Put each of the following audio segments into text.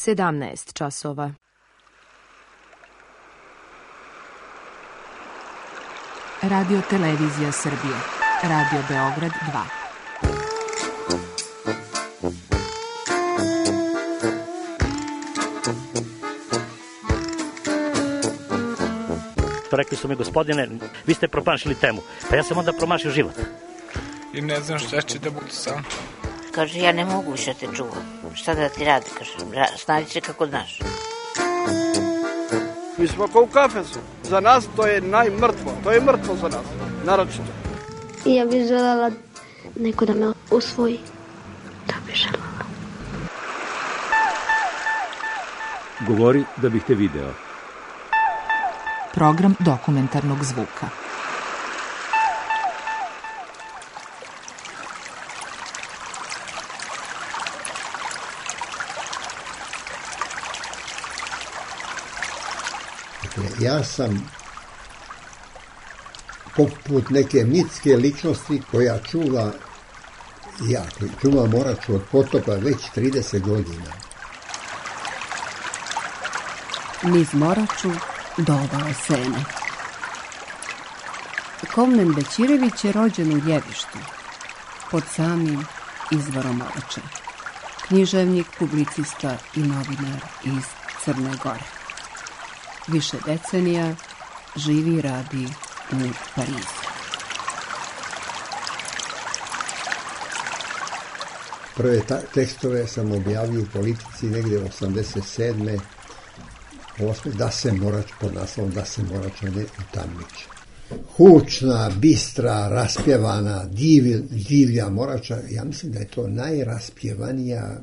17 časova. Radio Televizija Srbije. Radio Beograd 2. Rekli su mi, gospodine, vi ste promašili temu. Pa ja sam onda promašio život. I ne znam šta će da budu sam. Kaže, ja ne mogu više te čuvam. Šta da ti radi? Kaže, snađi se kako znaš. Mi smo kao u kafesu. Za nas to je najmrtvo. To je mrtvo za nas. Naročito. I ja bih željela neko da me usvoji. Da bih željela. Govori da bih te video. Program dokumentarnog zvuka. Ja sam poput neke mitske ličnosti koja čuva Moraču od potopa već 30 godina. Niz Moraču do obale Sene. Kovnen Bećirević je rođen u Ljevištu, pod samim izvorom Morače. Književnik, publicista i novinar iz Crne Gore. Više decenija živi i radi u Parizu. Prve tekstove sam objavio u Politici negdje 87. 8. da se Morač, pod naslovom Da se Moračane utamniče. Hučna, bistra, raspjevana, divlja Morača, ja mislim da je to najraspjevanija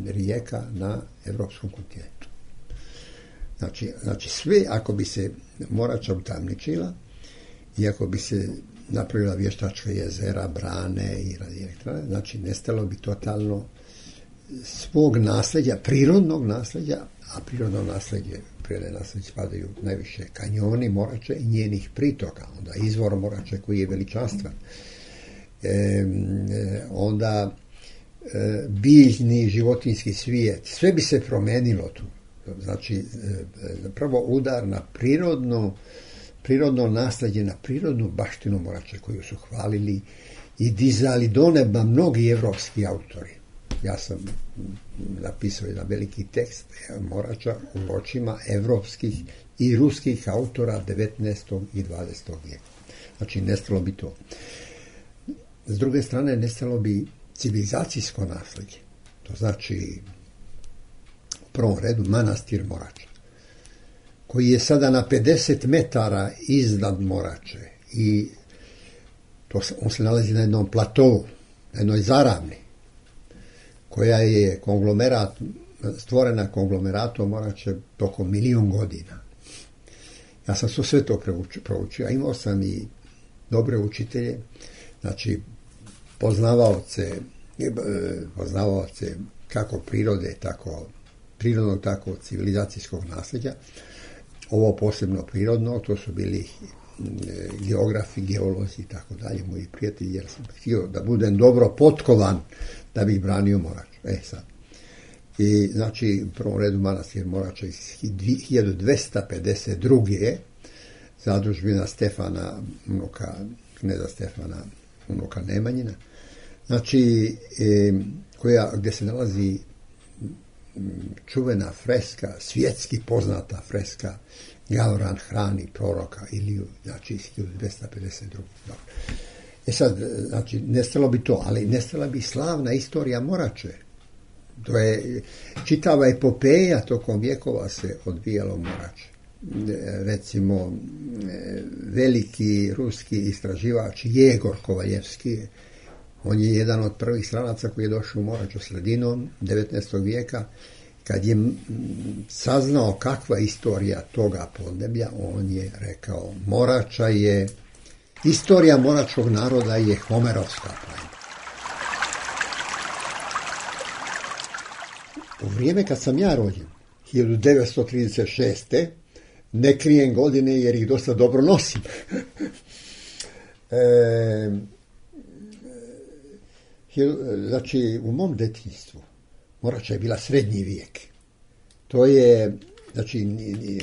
rijeka na evropskom kontinentu. Znači sve, ako bi se Morača utamničila i ako bi se napravila vještačka jezera, brane i radioelektrane, znači nestalo bi totalno svog nasljeđa, prirodnog nasljeđa, a prirodne nasljeđe spadaju najviše kanjoni Morače i njenih pritoka, onda izvor Morače koji je veličanstven, onda biljni životinjski svijet, sve bi se promenilo tu. Znači, prvo udar na prirodno nasljeđe, na prirodnu baštinu Morače koju su hvalili i dizali do neba mnogi evropski autori. Ja sam napisao jedan veliki tekst Morača u očima evropskih i ruskih autora 19. i 20. vijeka. Znači, nestalo bi to. S druge strane, nestalo bi civilizacijsko nasljeđe. To znači, u prvom redu, manastir Morača, koji je sada na 50 metara iznad Morače i on se nalazi na jednom platovu, na jednoj zaravni, koja je stvorena konglomeratom Morače tokom 1.000.000 godina. Ja sam sve to proučio, a imao sam i dobre učitelje, znači poznavaoce kako prirode, prirodnog, tako civilizacijskog nasljeđa. Ovo posebno prirodno, to su bili geografi, geolozi i tako dalje, moji prijatelji, jer sam htio da budem dobro potkovan da bih branio Moraču. Sad. I znači, u prvom redu manastir Morača iz 1252. zadužbina Stefana, kneza Stefana, unuka Nemanjina, znači, gdje se nalazi čuvena freska, svjetski poznata freska Gauran hrani proroka Iliju, znači iz 1252. Sad, znači, nestalo bi to, ali nestala bi slavna istorija Morače. To je čitava epopeja tokom vjekova se odvijalo Morače. Recimo, veliki ruski istraživač Jegor Kovaljevski, on je jedan od prvih stranaca koji je došao u Moraču sredinom 19. vijeka. Kad je saznao kakva je istorija toga podneblja, on je rekao, istorija moračkog naroda je homerovska poema. U vrijeme kad sam ja rođen, 1936. ne krijem godine jer ih dosta dobro nosim. Znači, u mom djetinjstvu Morača je bila srednji vijek. To je, znači,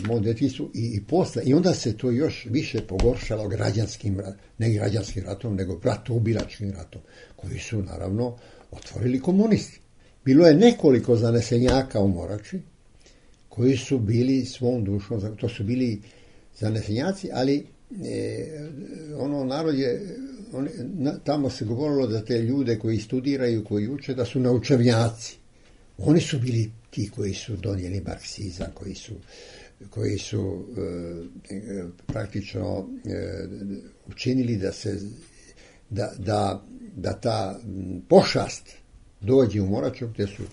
mom djetinjstvu i posle. I onda se to još više pogoršalo ne građanskim ratom, nego bratoubilačkim ratom, koji su, naravno, otvorili komunisti. Bilo je nekoliko zanesenjaka u Morači, koji su bili svom dušom, to su bili zanesenjaci, ali narod je, tamo se govorilo da te ljude koji studiraju, koji uče, da su naučevnjaci. Oni su bili ti koji su donijeli marksizam, koji su praktično učinili da ta pošast dođe u Moraču, gdje su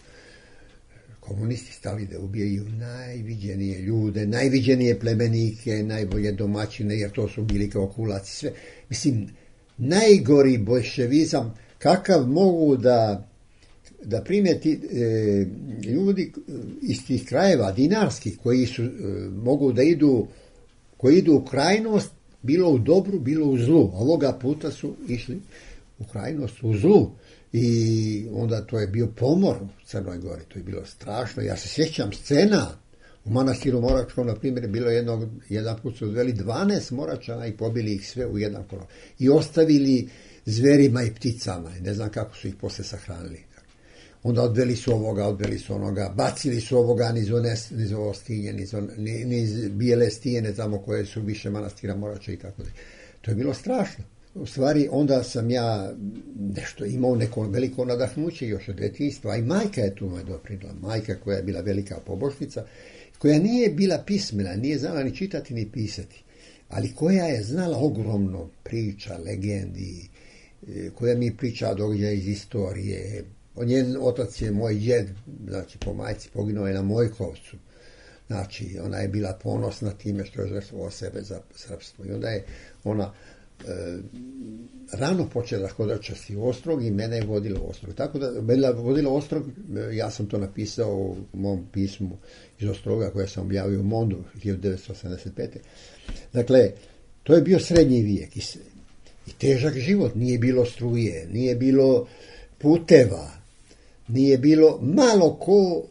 komunisti stali da ubijaju najviđenije ljude, najviđenije plemenike, najbolje domaćine, jer to su bili kao kulaci, sve. Mislim, najgori bolševizam, kakav mogu da primeti ljudi iz tih krajeva, dinarskih, koji mogu da idu u krajnost, bilo u dobru, bilo u zlu. Ovoga puta su išli u krajnost, u zlu. I onda to je bio pomor u Crnoj Gori, to je bilo strašno. Ja se sjećam scena u manastiru Moračkom, na primjer, bilo jedan put su odveli 12 Moračana i pobili ih sve u jedan kolor. I ostavili zverima i pticama. Ne znam kako su ih posle sahranili. Onda odveli su ovoga, odveli su onoga, bacili su ovoga niz ovo stinje, niz bijele stijene tamo koje su više manastira Morača i tako da. To je bilo strašno. U stvari, onda sam ja nešto imao neko veliko nadahnuće još od djetinjstva, i majka je tu me doprinila. Majka koja je bila velika pobožnica, koja nije bila pismena, nije znala ni čitati ni pisati, ali koja je znala ogromno priča, legendi, koja mi priča događaja iz istorije. Njen otac je moj djed, znači po majci poginuo je na Mojkovcu. Znači, ona je bila ponosna time što je žrtvovao sebe za srpstvo. I onda je ona rano počela hodačasti u Ostrog i mene je vodila u Ostrog. Tako da mene vodila u Ostrog, ja sam to napisao u mom pismu iz Ostroga koje sam objavio u Mondu 1985. Dakle, to je bio srednji vijek i težak život. Nije bilo struje, nije bilo puteva, nije bilo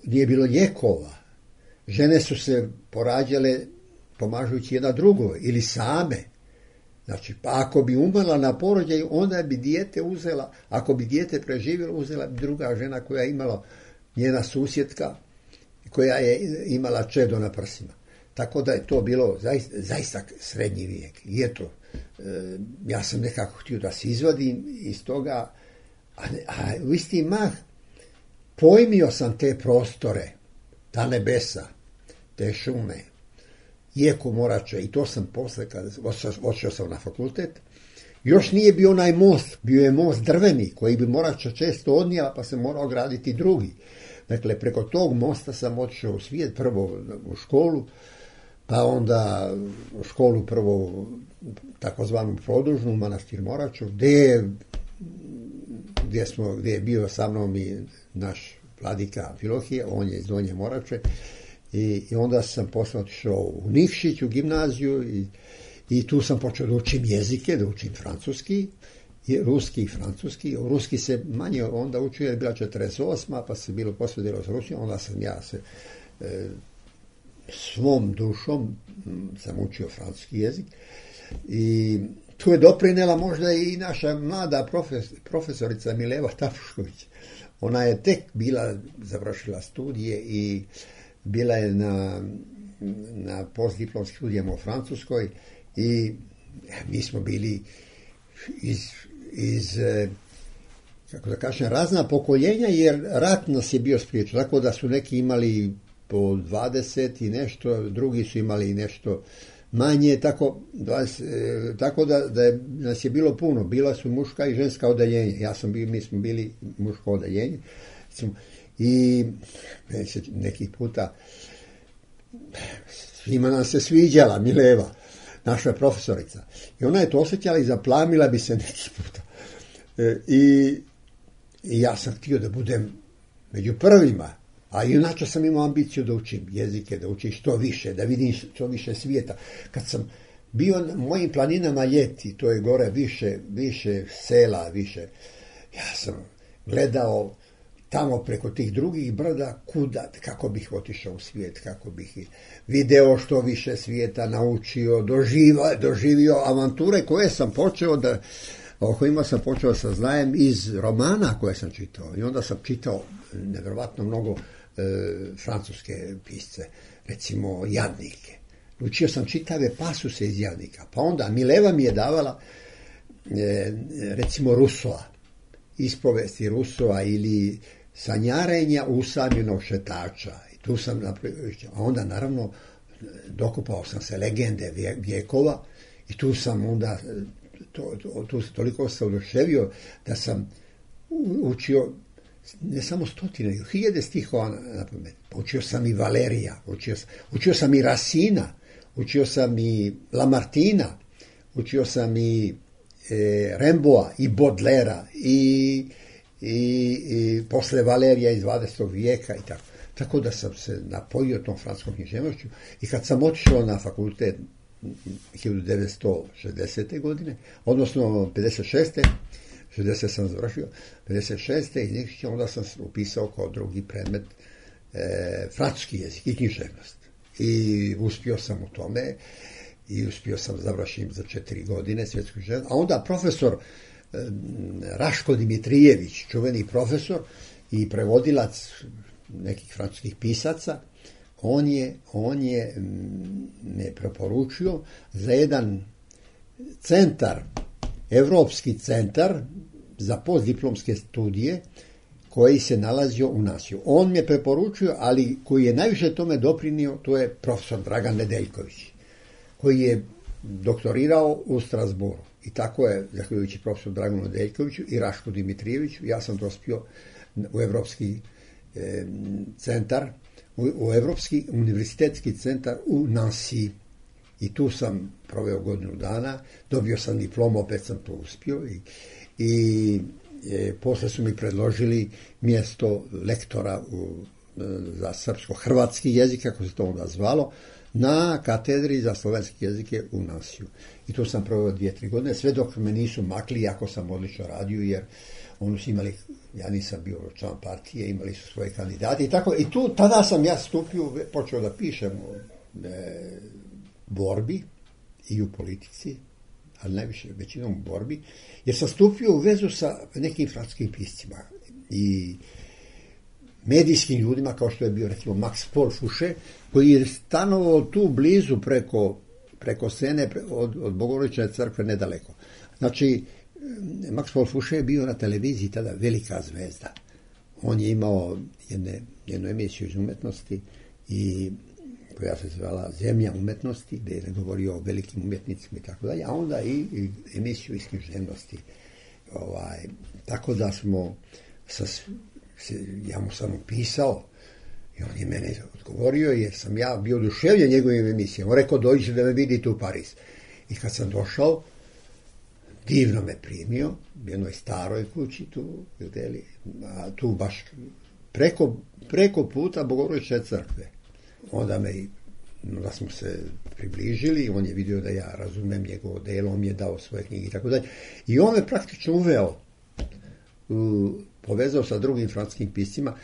nije bilo lijekova. Žene su se porađale pomažući jedna drugoj ili same. Znači, pa ako bi umrla na porođaju, onda bi dijete uzela, ako bi dijete preživjelo, uzela bi druga žena koja je imala, njena susjedka, koja je imala čedo na prsima. Tako da je to bilo zaista srednji vijek. I eto, ja sam nekako htio da se izvadim iz toga, a u isti mah pojmio sam te prostore, ta nebesa, te šume, Jeku Morače, i to sam posle, kada odšao sam na fakultet, još nije bio onaj most, bio je most drveni, koji bi Morača često odnijela, pa se morao graditi drugi. Dakle, preko tog mosta sam odšao u svijet, prvo u školu, pa onda u školu prvo takozvanu produžnu, manastir Moraču, gdje je bio sa mnom i naš vladika Filohije, on je iz Donje Morače, i onda sam posle otišao u Nikšić, u gimnaziju, i tu sam počeo da učim jezike, da učim francuski, ruski i francuski. Ruski se manje onda učio, jer je bila 48. pa se bilo posle delo s Rusijom, onda sam ja se svom dušom sam učio francuski jezik. I tu je doprinela možda i naša mlada profesorica Mileva Tafušković. Ona je tek bila, završila studije i bila je na postdiplomskim studijama u Francuskoj, i mi smo bili iz kako da kažem, razna pokoljenja, jer rat nas je bio spriječio. Tako da su neki imali po 20 i nešto, drugi su imali nešto manje, tako da nas je bilo puno. Bila su muška i ženska odeljenja. Mi smo bili muško odeljenje. I nekih puta svima nam se sviđala Mileva, naša profesorica. I ona je to osjećala i zaplamila bi se neki puta. I ja sam htio da budem među prvima, a inače sam imao ambiciju da učim jezike, da učim što više, da vidim što više svijeta. Kad sam bio na mojim planinama ljeti, to je gore više sela, više, ja sam gledao tamo preko tih drugih brda, kuda, kako bih otišao u svijet, kako bih video što više svijeta, naučio, doživio avanture koje sam počeo o kojima sam počeo saznajem iz romana koje sam čitao. I onda sam čitao nevjerovatno mnogo francuske pisce, recimo Jadnike. Učio sam čitave pasuse iz Jadnika. Pa onda Mileva mi je davala recimo Rusova, ispovesti Rusova ili sanjarenja usamljenog šetača. I tu sam napravio, a onda naravno dokupao sam se legende vjekova i tu sam onda tu toliko se oduševio da sam učio ne samo stotine, hiljade stihova na pamet. Učio sam i Valerija, učio sam i Racina, učio sam i Lamartina, učio sam i Rimbaud'a i Baudelairea i posle Valerija iz 20. vijeka i tako. Tako da sam se napojio tom francuskom književnošću i kad sam otišao na fakultet 1960. godine, odnosno 56. 60 sam završio, 56. i onda sam upisao kao drugi predmet francuski jezik i književnost. I uspio sam u tome i uspio sam završiti za 4 godine svjetsku književnost. A onda profesor Raško Dimitrijević, čuveni profesor i prevodilac nekih francuskih pisaca, on je me preporučio za jedan centar, Evropski centar za postdiplomske studije koji se nalazio u Nasiju. On me preporučio, ali koji je najviše tome doprinio, to je profesor Dragan Nedeljković, koji je doktorirao u Strasbourgu. I tako je, zahvaljujući profesoru Draganu Nedeljkoviću i Rašku Dimitrijeviću, ja sam dospio u Evropski centar, u Evropski univerzitetski centar u Nancy. I tu sam proveo godinu dana, dobio sam diplomu, opet sam to uspio i posle su mi predložili mjesto lektora za srpsko-hrvatski jezik, kako se to onda zvalo, na katedri za slovenski jezike u Nansiju. I tu sam proveo 2-3 godine, sve dok me nisu makli, jako sam odlično radio, jer oni su imali, ja nisam bio član partije, imali su svoje kandidate i tako. I tu, tada sam ja stupio, počeo da pišem borbi i u politici, ali najviše većinom u borbi, jer sam stupio u vezu sa nekim francuskim piscima i medijskim ljudima, kao što je bio recimo Max Paul Fouché, koji je stanovao tu blizu preko Sene od Bogorodične crkve nedaleko. Znači, Max Paul Fouché je bio na televiziji tada velika zvezda. On je imao jednu emisiju iz umetnosti i koja se zvala Zemlja umetnosti, gdje je govorio o velikim umjetnicima i tako dalje, a onda i emisiju iz književnosti. Tako da smo, ja mu sam upisao i on je mene odgovorio jer sam ja bio oduševljen njegovim emisijama. On rekao, dođite da me vidite u Pariz. I kad sam došao, divno me primio, u jednoj staroj kući tu baš preko puta Bogorodične crkve. Onda smo se približili, on je vidio da ja razumem njegovo delo, on mi je dao svoje knjige i tako dalje. I on me praktično uveo, povezao sa drugim francuskim piscima,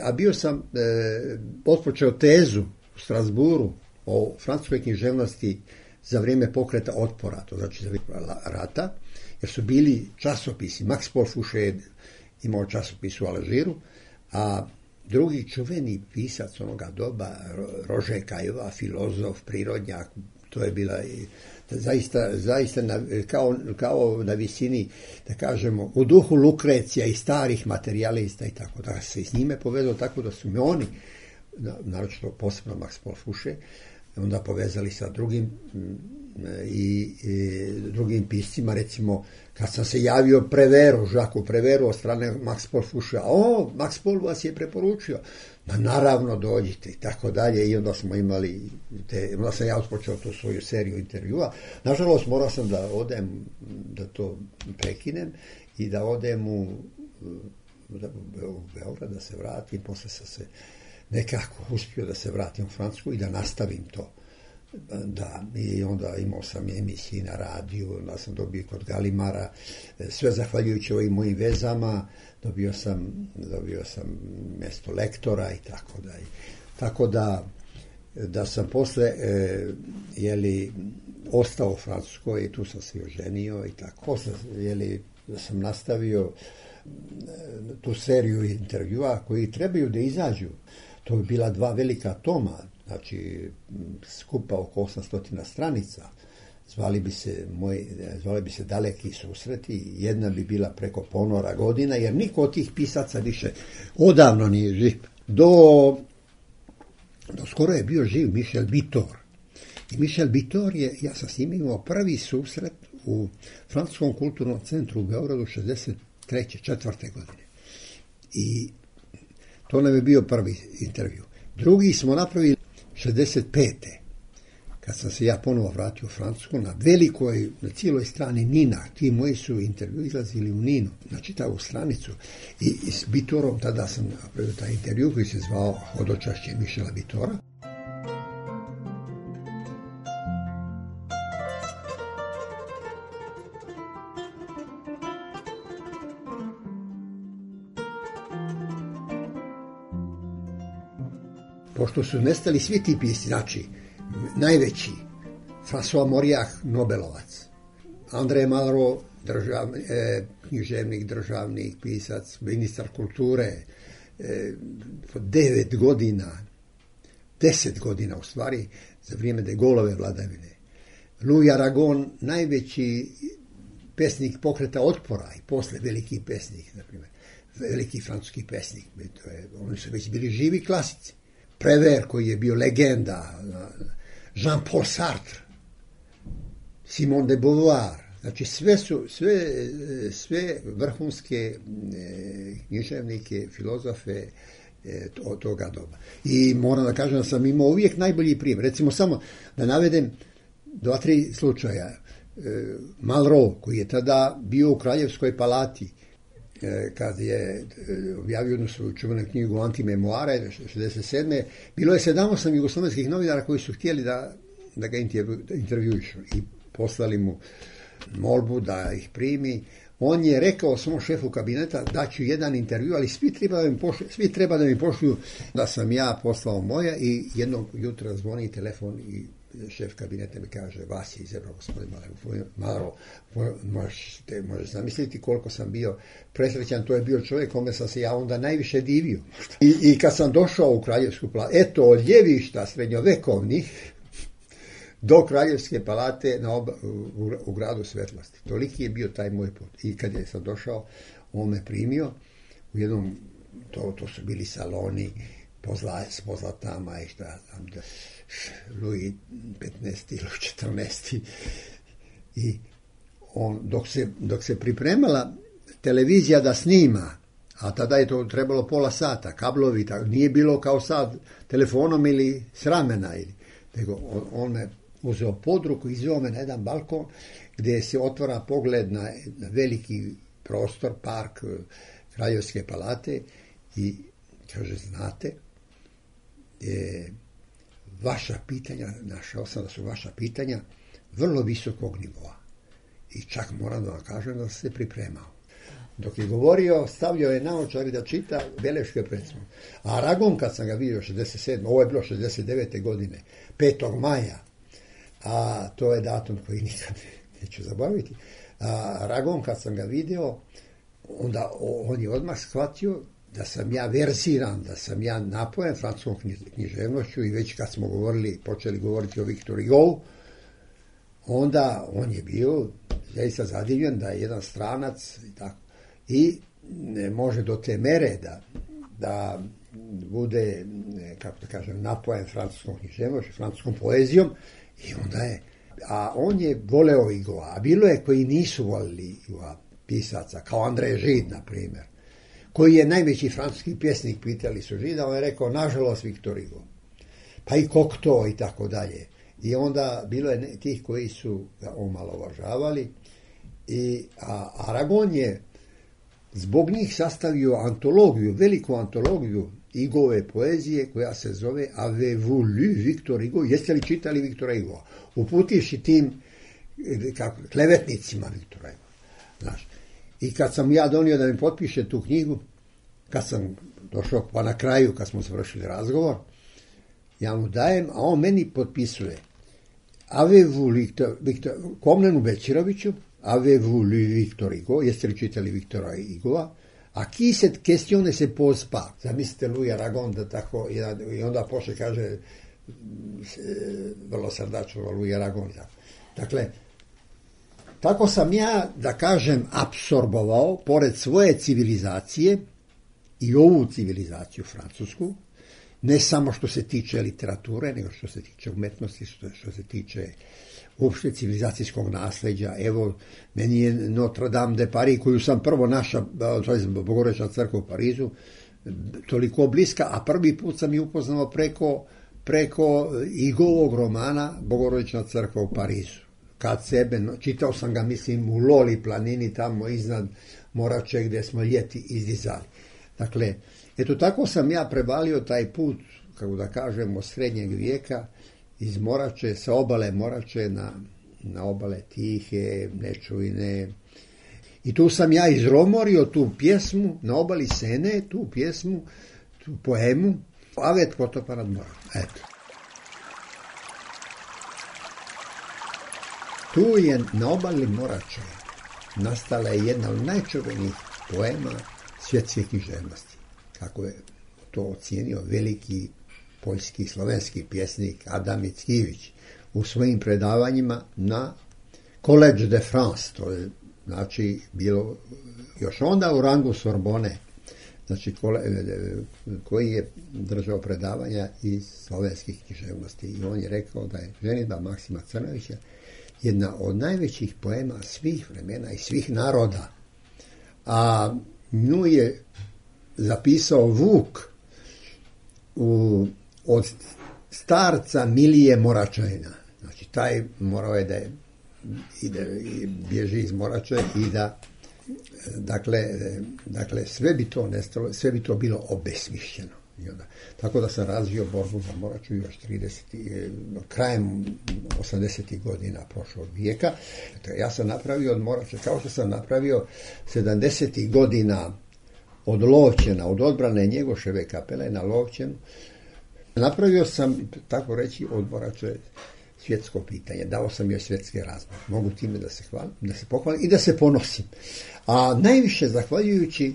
a bio sam otpočeo tezu u Strasbourgu o francuskoj književnosti za vrijeme pokreta otpora, to znači za vrijeme rata, jer su bili časopisi. Max Paul Fouché imao časopis u Alžiru, a drugi čuveni pisac onoga doba, Roger Caillois, filozof, prirodnjak, to je bila zaista kao na visini, da kažemo, u duhu Lukrecija i starih materijalista i tako. Da se s njime povezao tako da su me oni, naročito posebno Max Paul Fouché, onda povezali sa drugim drugim piscima, recimo kad sam se javio Jacques Prévert od strane Max Paul Fouché, Max Paul vas je preporučio, naravno dođite i tako dalje, i onda smo imali onda sam ja otpočeo tu svoju seriju intervjua. Nažalost morao sam da odem, da to prekinem i da odem u Beograd, da se vratim, posle sam se nekako uspio da se vratim u Francusku i da nastavim to. Da, i onda imao sam emisiji na radiju, onda sam dobio kod Galimara, sve zahvaljujući ovim mojim vezama, dobio sam mjesto lektora i tako dalje. Tako da sam posle ostao u Francuskoj i tu sam se oženio i tako. Posle da sam nastavio tu seriju intervjua koji trebaju da izađu. To bi bila 2 velika toma, znači skupa oko 800 stranica. Zvali bi se Daleki susreti, jedna bi bila preko ponora godina, jer niko od tih pisaca više odavno nije živ. Do skoro je bio živ Michel Vitor. I Michel Vitor ja sam s njim imao prvi susret u Francuskom kulturnom centru u Beogradu 63. 4. godine. I to nam je bio prvi intervju. Drugi smo napravili 65. Kad sam se ja ponovo vratio u Francusku, na cijeloj strani Nina, ti moji su intervju izlazili u Ninu, na čitavu stranicu. I s Vitorom tada sam napravio taj intervju koji se zvao Hodočašće Michela Vitora. Pošto su nestali svi ti pisci, znači najveći, François Mauriac, Nobelovac, André Malraux, književnik, državnik, pisac, ministar kulture, 10 godina u stvari, za vrijeme de Gaulleove vladavine. Louis Aragon, najveći pesnik pokreta otpora i posle veliki pesnik, na primjer, veliki francuski pesnik, oni su već bili živi klasici. Prévert koji je bio legenda, Jean-Paul Sartre, Simone de Beauvoir, znači sve vrhunske književnike, filozofe od toga doba. I moram da kažem da sam imao uvijek najbolji primjer. Recimo samo da navedem 2-3 slučaja. Malraux, koji je tada bio u Kraljevskoj palati, kad je objavio jednu svoju čuvenu knjigu Antimemoare 67. Bilo je 7-8 jugoslovenskih novinara koji su htjeli da ga intervjuišu i poslali mu molbu da ih primi. On je rekao svom šefu kabineta da ću jedan intervju, ali svi treba da mi pošlju. Da sam ja poslao moja i jednog jutra zvoni telefon i šef kabineta mi kaže, vas je izabrao gospodin Malraux. Možeš zamisliti koliko sam bio presrećan, to je bio čovjek kome sam se ja onda najviše divio. I kad sam došao u Kraljevsku palatu, eto, od ljevišta srednjovekovnih do Kraljevske palate u gradu Svetlosti. Toliki je bio taj moj put. I kad je sam došao, on me primio u jednom, to su bili saloni s pozlatama i šta znam, Louis 15. ili 14. I on, dok se pripremala televizija da snima, a tada je to trebalo pola sata, kablovi, nije bilo kao sad telefonom ili s ramena, nego on me uzeo pod ruku i izveo me na jedan balkon gdje se otvara pogled na veliki prostor, park Kraljevske palate i kaže, znate, vaša pitanja, našao sam da su vaša pitanja vrlo visokog nivoa. I čak moram da vam kažem da sam se pripremao. Dok je govorio, stavljao je naočare da čita beleške predstavu. A Aragon, kad sam ga vidio 67. ovo je bilo 69. godine, 5. maja, a to je datum koji nikad neću zabaviti. A Aragon, kad sam ga vidio, onda on je odmah shvatio da sam ja verziran, da sam ja napojen francuskom književnošću i već kad smo počeli govoriti o Victor Hugo, onda on je bio zaista zadivljen da je jedan stranac i tako. I može do te mere da bude, kako da kažem, napojen francuskom književnošću, francuskom poezijom i onda je, a on je voleo Hugoa, a bilo je koji nisu volili Hugoa pisaca, kao André Gide, na primjer, koji je najveći francuski pjesnik, pitali su Žida, on je rekao, nažalost, Victor Hugo. Pa i Cocteau i tako dalje. I onda bilo je tih koji su ga omalovažavali. A Aragon je zbog njih sastavio antologiju, veliku antologiju Igove poezije koja se zove Avez-vous lu Victor Hugo? Jeste li čitali Viktora Hugo? Uputivši tim klevetnicima Viktora Hugo. Znaš. I kad sam ja donio da mi potpiše tu knjigu, kad sam došao pa na kraju, kad smo završili razgovor, ja mu dajem, a on meni potpisuje Avez-vous Victor, Komnenu Bećiroviću, Avez-vous lu Victor Hugo? Jeste li čitali Viktora Hugoa? A qui cette question ne se pose pas? Zamislite Louis Aragon da tako, i onda poslije kaže vrlo srdačno Louis Aragon. Dakle, tako sam ja, da kažem, apsorbovao, pored svoje civilizacije, i ovu civilizaciju francusku, ne samo što se tiče literature, nego što se tiče umetnosti, što se tiče uopšte civilizacijskog nasljeđa. Evo, meni je Notre Dame de Paris, koju sam prvo našao, to je Bogorodična crkva u Parizu, toliko bliska, a prvi put sam je upoznao preko Igovog romana Bogorodična crkva u Parizu. Kad sebe, čitao sam ga, mislim, u Loli planini, tamo iznad Morače, gdje smo ljeti izdizali. Dakle, eto tako sam ja prevalio taj put, kako da kažem, od srednjeg vijeka, iz Morače, sa obale Morače na obale Tihe, Nečujne. I tu sam ja izromorio tu pjesmu, na obali Sene, tu pjesmu, tu poemu, Avet potopa nad morom. Eto. Tu je na obali Morače nastala je jedna od najčuvenijih poema svjetske književnosti. Kako je to ocijenio veliki poljski slovenski pjesnik Adam Mickiewicz u svojim predavanjima na Collège de France, to je znači bilo još onda u rangu Sorbone, znači koji je držao predavanja iz slovenskih književnosti. I on je rekao da je ženidba Maksima Crnovića jedna od najvećih poema svih vremena i svih naroda. A nju je zapisao Vuk od starca Milije Moračajna. Znači, taj morao je da bježi iz Morače i da dakle sve bi to nestalo, sve bi to bilo obesmišljeno. Tako da sam razvio borbu za Moraču još krajem 80. godina prošlog vijeka. Ja sam napravio od Morače, kao što sam napravio 70. godina od Lovćena, od odbrane Njegoševe kapele na Lovćenu. Napravio sam, tako reći, od Morače svjetsko pitanje. Dao sam joj svjetske razmere. Mogu time da se hvalim, da se pohvalim i da se ponosim. A najviše zahvaljujući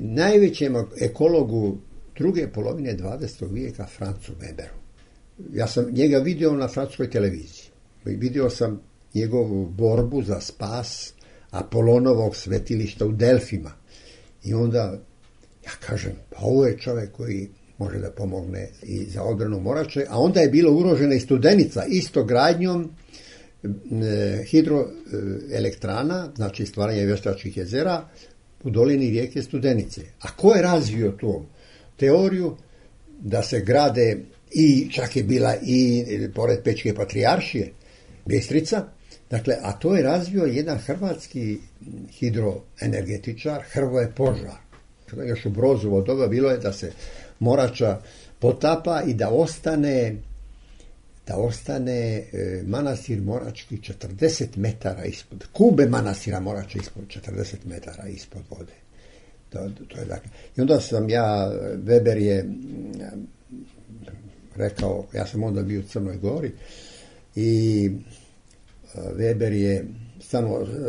najvećem ekologu druge polovine 20. vijeka Francu Weberu. Ja sam njega vidio na francuskoj televiziji. Vidio sam njegovu borbu za spas Apolonovog svetilišta u Delfima. I onda ja kažem, pa ovo je čovjek koji može da pomogne i za odbranu Morače, a onda je bila ugrožena i Studenica, isto gradnjom hidroelektrana, znači stvaranje vještačkih jezera u dolini rijeke Studenice. A ko je razvio tu teoriju da se grade i čak je bila i pored Pečke patrijaršije Bistrica, dakle, a to je razvio jedan hrvatski hidroenergetičar Hrvoje Požar. Još u Brozovo doba bilo je da se Morača potapa i da ostane manastir Morački 40 metara ispod, kube manastira Morača ispod 40 metara ispod vode. To je dakle. I onda sam ja, Weber je rekao, ja sam onda bio u Crnoj Gori i Weber je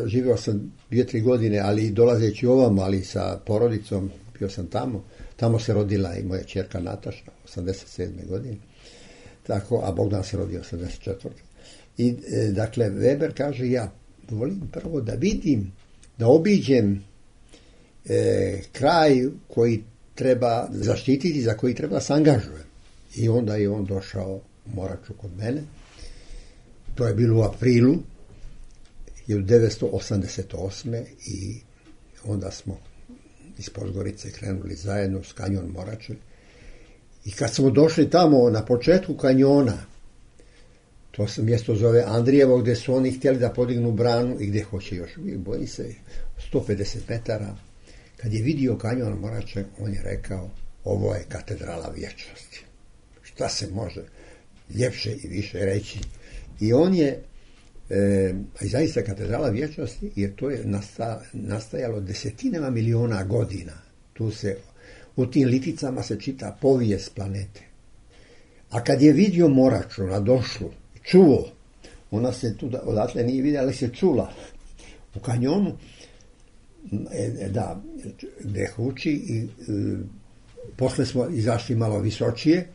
živio sam 2-3 godine, ali dolazeći ovamo, ali sa porodicom, bio sam tamo se rodila i moja ćerka Nataša, 87. godine, tako, a Bogdan se rodio 84. I dakle, Weber kaže, ja volim prvo da vidim, da obiđem kraj koji treba zaštititi, za koji treba se angažujem. I onda je on došao u Moraču kod mene. To je bilo u aprilu 1988. i onda smo iz Podgorice krenuli zajedno s kanjon Morače. I kad smo došli tamo na početku kanjona, to se mjesto zove Andrijevo, gdje su oni htjeli da podignu branu i gdje hoće još, boji se 150 metara. Kad je vidio kanjon Morače, on je rekao, ovo je katedrala vječnosti. Šta se može ljepše i više reći? I on je, i zaista katedrala vječnosti, jer to je nastajalo desetinama miliona godina. U tim liticama se čita povijest planete. A kad je vidio Moraču na došlu, čuo, ona se tu odatle nije vidjela, ali se čula u kanjonu, gdje huči i posle smo izašli malo visočije,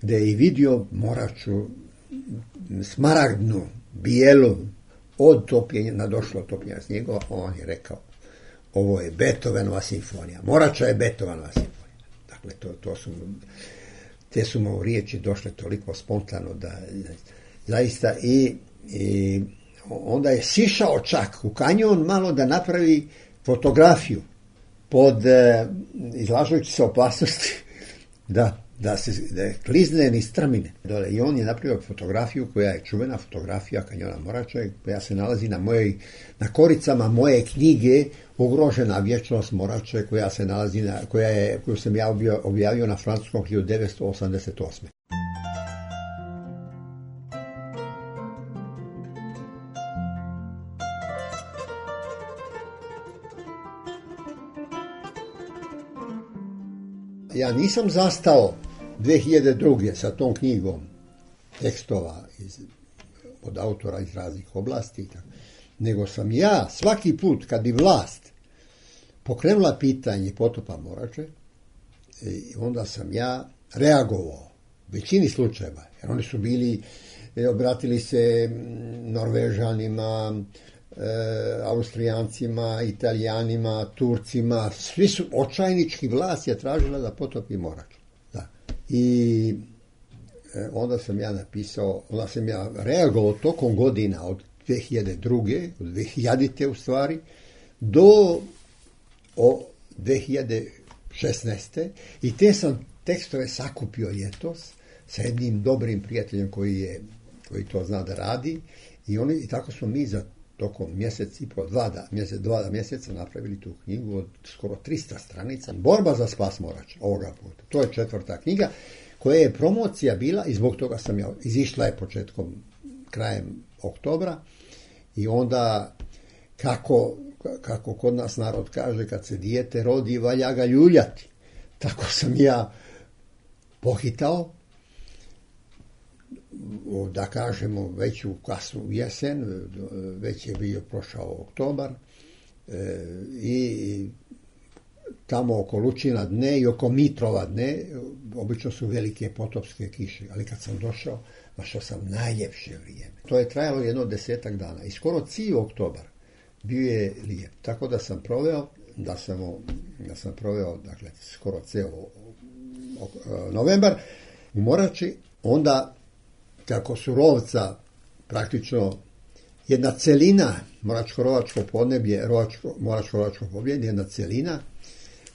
gdje je i vidio Moraču smaragdnu, bijelu, od topljenja, na došlo topljenja snijegova, on je rekao, ovo je Beethovenova simfonija. Morača je Beethovenova simfonija. Dakle, te su mu riječi došle toliko spontano da zaista i onda je sišao čak u kanjon malo da napravi fotografiju izlažujući se opasnosti da klizne ni strmine. I on je napravio fotografiju koja je čuvena fotografija kanjona Morača, koja se nalazi na koricama moje knjige Ugrožena vječnost Morače, koja se nalazi koju sam ja objavio na francuskom 1988. Ja nisam zastao 2002. sa tom knjigom tekstova od autora iz raznih oblasti, nego sam ja svaki put kad bi vlast pokrenula pitanje potopa Morače, onda sam ja reagovao u većini slučajeva, jer oni su bili, obratili se Norvežanima, Austrijancima, Italijanima, Turcima, svi su očajnički, vlast je tražila da potopi Moraču. Da. I onda sam ja reagovao tokom godina od 2002. od 2000. u stvari, do 2016. I te sam tekstove sakupio ljetos sa jednim dobrim prijateljem koji to zna da radi i tako smo mi za tokom mjesec i po, dva mjeseca napravili tu knjigu od skoro 300 stranica. Borba za spas Morača ovoga puta. To je 4. knjiga koja je promocija bila i zbog toga sam izišla je krajem oktobra i onda kako kod nas narod kaže, kad se dijete rodi valja ga ljuljati. Tako sam ja pohitao, da kažemo već u kasnu jesen, već je bio prošao oktobar i tamo oko Lučina dne i oko Mitrova dne obično su velike potopske kiše, ali kad sam došao, našao sam najljepše vrijeme. To je trajalo jedno 10 dana i skoro cijeli oktobar bio je lijep. Tako da sam proveo dakle, skoro cijelo novembar u Morači, onda kako su Rovca praktično jedna celina, Moračko-Rovačko podneblje, Moračko-Rovačko podneblje, jedna celina,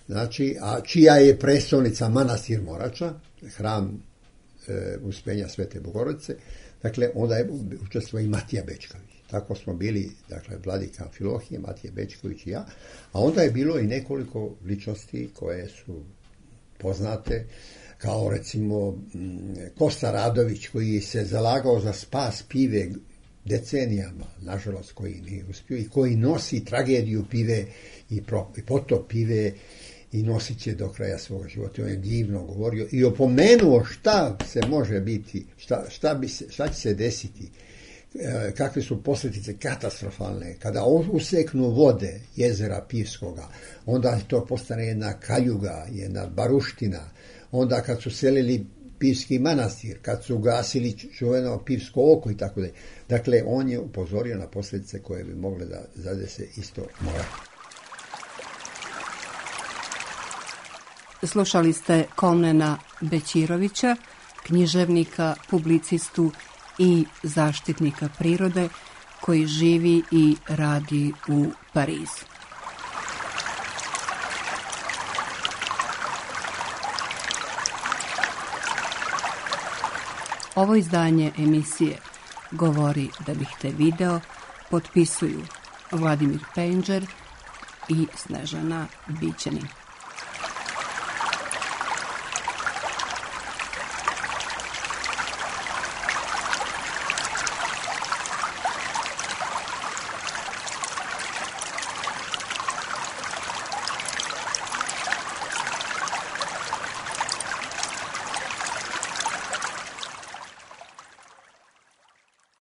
znači, a čija je prestolnica manastir Morača, hram Uspjenja Svete Bogorodice, dakle, onda je učestvovao i Matija Bečković. Tako smo bili, dakle, vladika Amfilohije, Matija Bečković i ja, a onda je bilo i nekoliko ličnosti koje su poznate, kao recimo Kosta Radović koji se zalagao za spas pive decenijama, nažalost koji nije uspio i koji nosi tragediju pive i potop pive i nosit će do kraja svoga života. On je divno govorio i opomenuo šta se može biti, šta će se desiti, kakve su posljedice katastrofalne. Kada useknu vode jezera Pivskoga, onda to postane jedna kaljuga, jedna baruština. Onda kad su selili Pivski manastir, kad su gasili čuveno Pivsko oko i tako dalje. Dakle, on je upozorio na posljedice koje bi mogle da zadese isto Moraču. Slušali ste Komnena Bećirovića, književnika, publicistu i zaštitnika prirode koji živi i radi u Parizu. Ovo izdanje emisije Govori da bih te video potpisuju Vladimir Penđer i Snežana Bićanin.